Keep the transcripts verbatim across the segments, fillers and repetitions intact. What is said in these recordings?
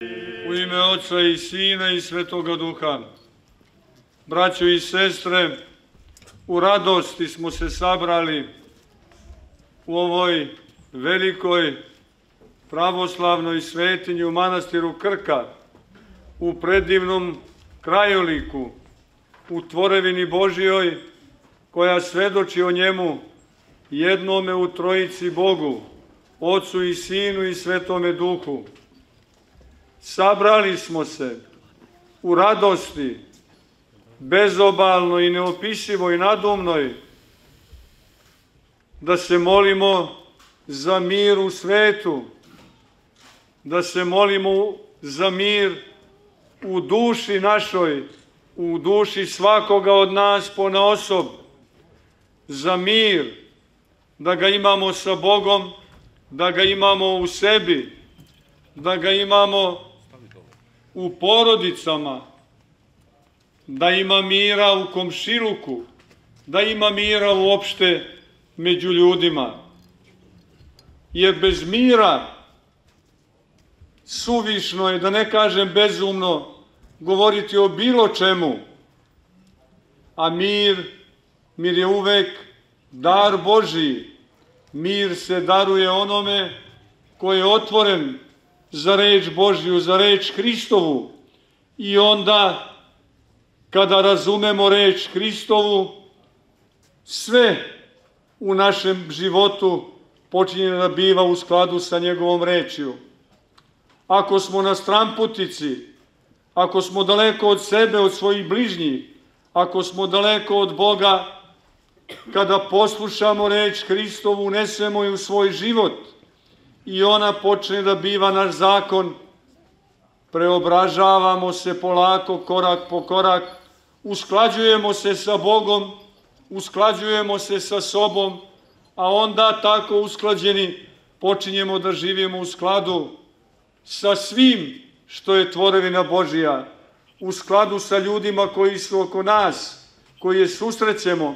U ime Oca i Sina i Svetoga Duha. Braćo i sestre, u radosti smo se sabrali u ovoj velikoj pravoslavnoj svetinji u manastiru Krka, u predivnom krajoliku, u tvorevini Božijoj, koja svedoči o njemu jednome u Trojici Bogu, Ocu i Sinu i Svetome Duhu. Sabrali smo se u radosti, bezobalnoj i neopisivoj nadumnoj, da se molimo za mir u svetu, da se molimo za mir u duši našoj, u duši svakoga od nas ponaosob, za mir, da ga imamo sa Bogom, da ga imamo u sebi, da ga imamo u porodicama, da ima mira u komšiluku, da ima mira uopšte među ljudima. Jer bez mira suvišno je, da ne kažem bezumno, govoriti o bilo čemu. A mir, mir je uvek dar Božiji. Mir se daruje onome ko je otvoren za reč Božiju, za reč Hristovu. I onda, kada razumemo reč Hristovu, sve u našem životu počinje da biva u skladu sa njegovom rečju. Ako smo na stramputici, ako smo daleko od sebe, od svojih bližnjih, ako smo daleko od Boga, kada poslušamo reč Hristovu, unesemo je u svoj život i ona počne da biva naš zakon, preobražavamo se polako, korak po korak, usklađujemo se sa Bogom, usklađujemo se sa sobom, a onda tako usklađeni počinjemo da živimo u skladu sa svim što je tvorevina Božija, u skladu sa ljudima koji su oko nas, koji je susrećemo,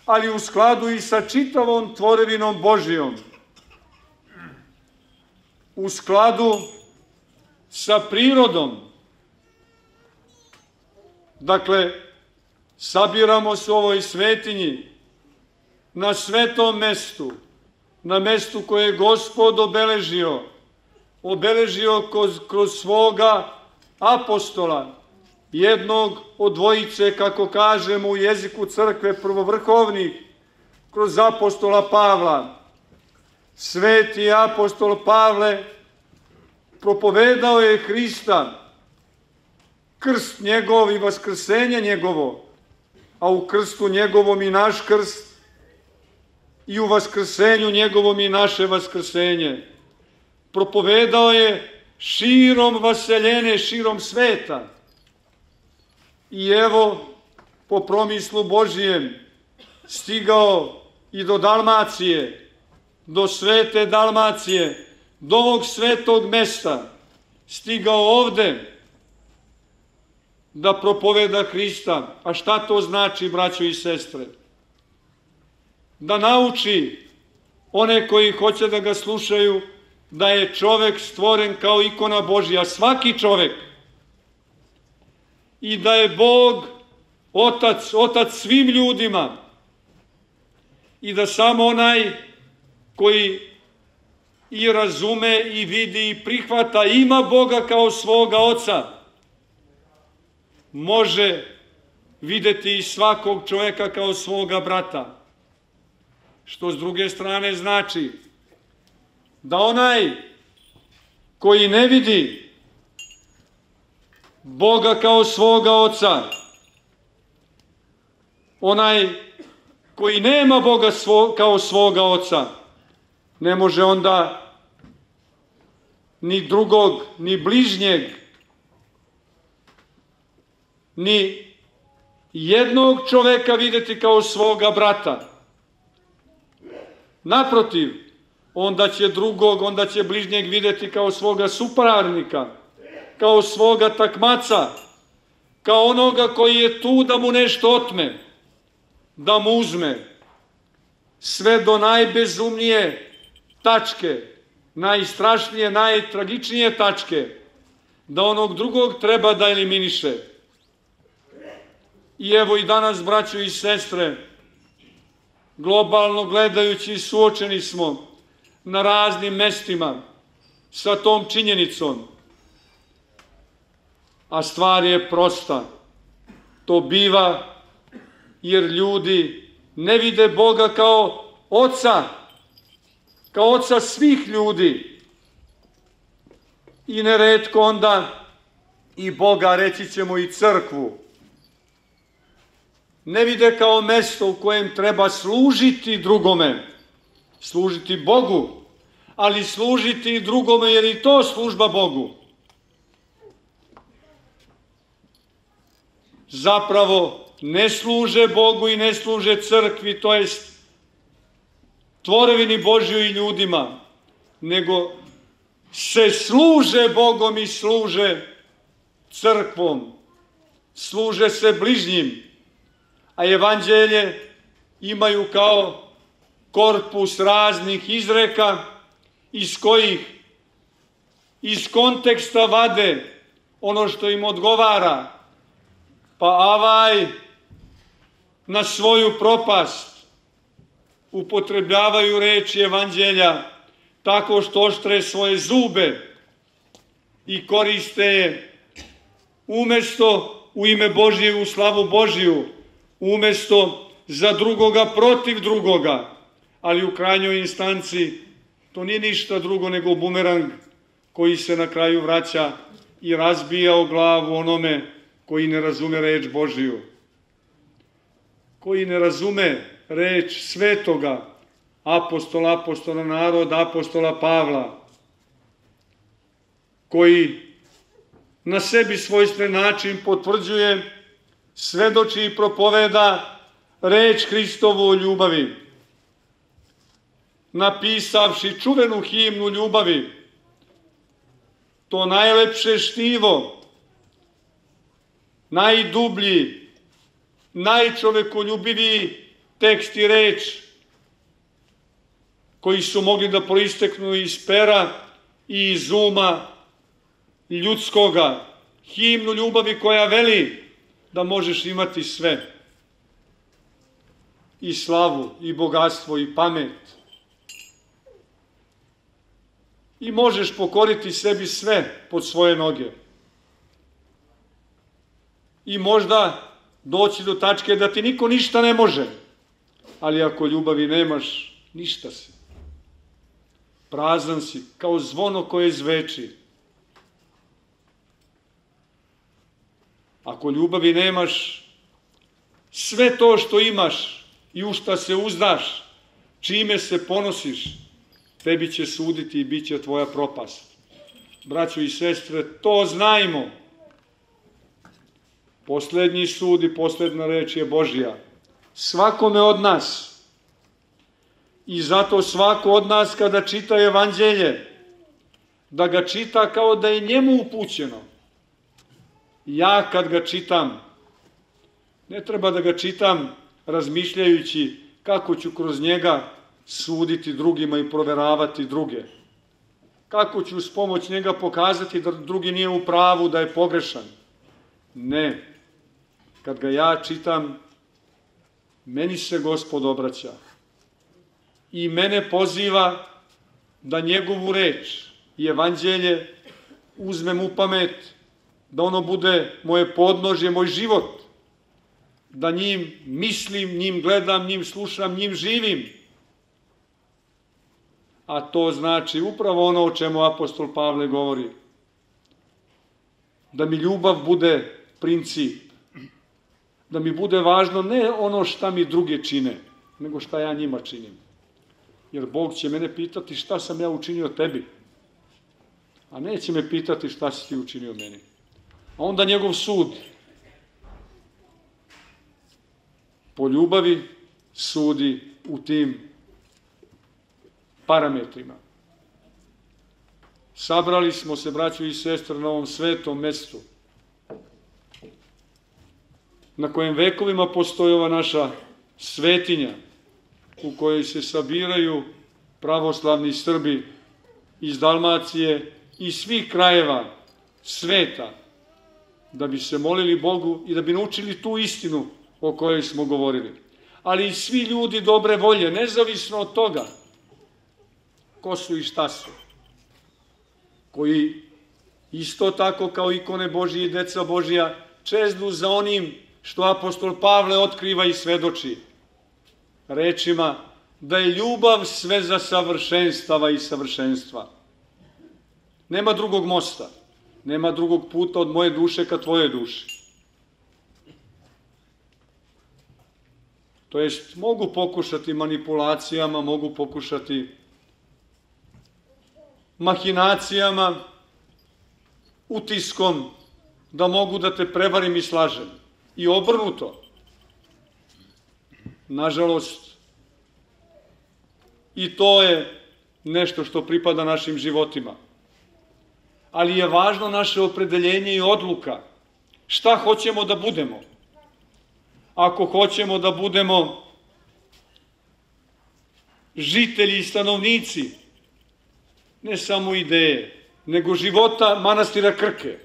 ali u skladu i sa čitavom tvorevinom Božijom, u skladu sa prirodom. Dakle, sabiramo se u ovoj svetinji, na svetom mestu, na mestu koje je Gospod obeležio, obeležio kroz, kroz svoga apostola, jednog od dvojice, kako kažemo u jeziku crkve, prvovrhovnih, kroz apostola Pavla. Sveti apostol Pavle propovedao je Hrista, krst njegov i vaskrsenje njegovo, a u krstu njegovom i naš krst, i u vaskrsenju njegovom i naše vaskrsenje. Propovedao je širom vaseljene, širom sveta. I evo, po promislu Božijem, stigao i do Dalmacije, do svete Dalmacije, do ovog svetog mesta, stigao ovde da propoveda Hrista. A šta to znači, braćo i sestre? Da nauči one koji hoće da ga slušaju da je čovek stvoren kao ikona Božja, svaki čovek, i da je Bog otac, otac svim ljudima, i da samo onaj koji i razume i vidi i prihvata, ima Boga kao svoga oca, može videti i svakog čoveka kao svoga brata. Što s druge strane znači da onaj koji ne vidi Boga kao svoga oca, onaj koji nema Boga svo, kao svoga oca, ne može onda ni drugog, ni bližnjeg, ni jednog čoveka videti kao svoga brata. Naprotiv, onda će drugog, onda će bližnjeg videti kao svoga suparnika, kao svoga takmaca, kao onoga koji je tu da mu nešto otme, da mu uzme, sve do najbezumnije tačke, najstrašnije, najtragičnije tačke, da onog drugog treba da eliminiše. I evo i danas, braćo i sestre, globalno gledajući suočeni smo na raznim mestima sa tom činjenicom. A stvar je prosta. To biva jer ljudi ne vide Boga kao oca, kao oca svih ljudi. I neretko onda i Boga, reći ćemo i crkvu, ne vide kao mesto u kojem treba služiti drugome, služiti Bogu, ali služiti i drugome jer i to služba Bogu. Zapravo ne služe Bogu i ne služe crkvi, to jest tvorevini Božjoj i ljudima, nego se služe Bogom i služe crkvom, služe se bližnjim, a evanđelje imaju kao korpus raznih izreka iz kojih iz konteksta vade ono što im odgovara, pa avaj na svoju propast upotrebljavaju reči evanđelja tako što oštre svoje zube i koriste je umesto u ime Božje u slavu Božiju, umesto za drugoga protiv drugoga, ali u krajnjoj instanci to nije ništa drugo nego bumerang koji se na kraju vraća i razbija o glavu onome koji ne razume reč Božiju, koji ne razume reč svetoga apostola, apostola naroda, apostola Pavla, koji na sebi svojstven način potvrđuje, svedoči i propoveda reč Hristovu o ljubavi, napisavši čuvenu himnu ljubavi, to najlepše štivo, najdublji, najčovekoljubiviji tekst i reč koji su mogli da proisteknu iz pera i iz uma ljudskoga, himnu ljubavi koja veli da možeš imati sve, i slavu, i bogatstvo, i pamet, i možeš pokoriti sebi sve pod svoje noge. I možda doći do tačke da ti niko ništa ne može, ali ako ljubavi nemaš, ništa si. Prazan si, kao zvono koje zveči. Ako ljubavi nemaš, sve to što imaš i u šta se uzdaš, čime se ponosiš, tebi će suditi i bit će tvoja propast. Braćo i sestre, to znajmo. Poslednji sud i posledna reč je Božja. Svakome od nas. I zato svako od nas kada čita evanđelje, da ga čita kao da je njemu upućeno. Ja kad ga čitam, ne treba da ga čitam razmišljajući kako ću kroz njega suditi drugima i proveravati druge. Kako ću s pomoć njega pokazati da drugi nije u pravu, da je pogrešan. Ne. Kad ga ja čitam, meni se Gospod obraća i mene poziva da njegovu reč i evanđelje uzmem u pamet, da ono bude moje podnožje, moj život, da njim mislim, njim gledam, njim slušam, njim živim. A to znači upravo ono o čemu apostol Pavle govori. Da mi ljubav bude princip. Da mi bude važno ne ono šta mi druge čine, nego šta ja njima činim. Jer Bog će mene pitati šta sam ja učinio tebi, a neće me pitati šta si ti učinio meni. A onda njegov sud po ljubavi sudi u tim parametrima. Sabrali smo se, braćo i sestre, na ovom svetom mestu, na kojem vekovima postoji ova naša svetinja, u kojoj se sabiraju pravoslavni Srbi iz Dalmacije i svih krajeva sveta, da bi se molili Bogu i da bi naučili tu istinu o kojoj smo govorili. Ali i svi ljudi dobre volje, nezavisno od toga ko su i šta su, koji isto tako kao ikone Božije i deca Božija čeznu za onim što apostol Pavle otkriva i svedoči rečima da je ljubav sve za savršenstava i savršenstva. Nema drugog mosta, nema drugog puta od moje duše ka tvojoj duši. To jest, mogu pokušati manipulacijama, mogu pokušati mahinacijama, utiskom, da mogu da te prevarim i slažem. I obrnuto. Nažalost, i to je nešto što pripada našim životima. Ali je važno naše opredeljenje i odluka. Šta hoćemo da budemo? Ako hoćemo da budemo žitelji i stanovnici, ne samo ideje, nego života manastira Krke,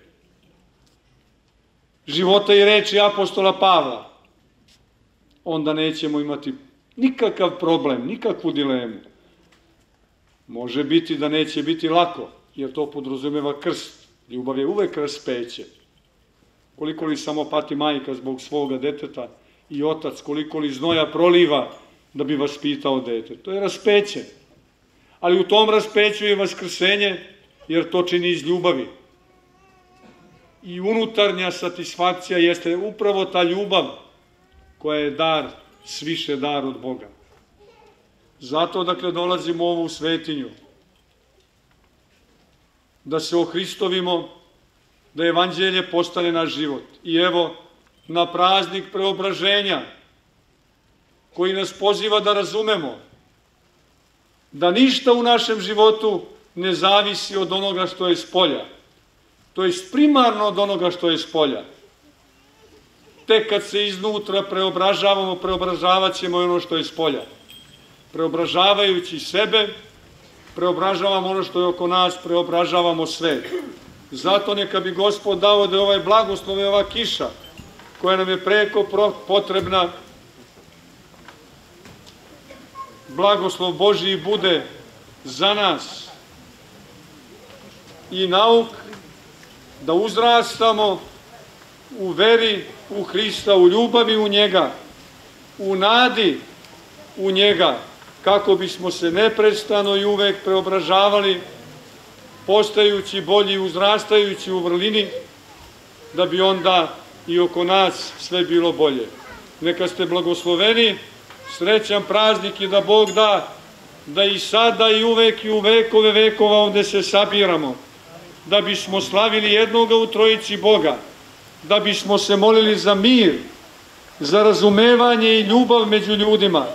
života i reči apostola Pavla, onda nećemo imati nikakav problem, nikakvu dilemu. Može biti da neće biti lako, jer to podrazumeva krst. Ljubav je uvek raspeće. Koliko li samo pati majka zbog svoga deteta i otac, koliko li znoja proliva da bi vaspitao dete. To je raspeće. Ali u tom raspeću je vaskrsenje, jer to čini iz ljubavi. I unutarnja satisfakcija jeste upravo ta ljubav koja je dar, sviše dar od Boga. Zato, dakle, dolazimo u ovu svetinju, da se ohristovimo, da evanđelje postane naš život. I evo, na praznik preobraženja, koji nas poziva da razumemo da ništa u našem životu ne zavisi od onoga što je spolja, to je primarno od onoga što je spolja. Tek kad se iznutra preobražavamo, preobražavat ćemo i ono što je spolja. Preobražavajući sebe, preobražavamo ono što je oko nas, preobražavamo sve. Zato neka bi Gospod dao da je ovaj blagoslov i ova kiša, koja nam je preko potrebna, blagoslov Božiji bude za nas i nauk da uzrastamo u veri u Hrista, u ljubavi u njega, u nadi u njega, kako bismo se neprestano i uvek preobražavali, postajući bolji i uzrastajući u vrlini, da bi onda i oko nas sve bilo bolje. Neka ste blagosloveni, srećan praznik i da Bog da, da i sada i uvek i u vekove vekova ovde se sabiramo, da bismo slavili jednoga u trojici Boga, da bismo se molili za mir, za razumevanje i ljubav među ljudima,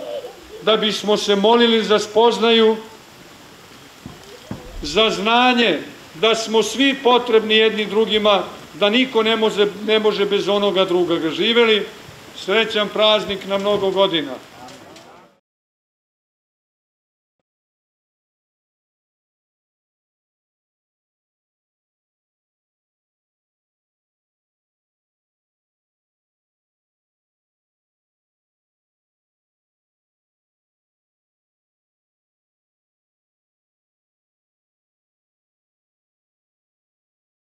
da bismo se molili za spoznaju, za znanje, da smo svi potrebni jedni drugima, da niko ne može, ne može bez onoga druga. Živeli srećan praznik na mnogo godina.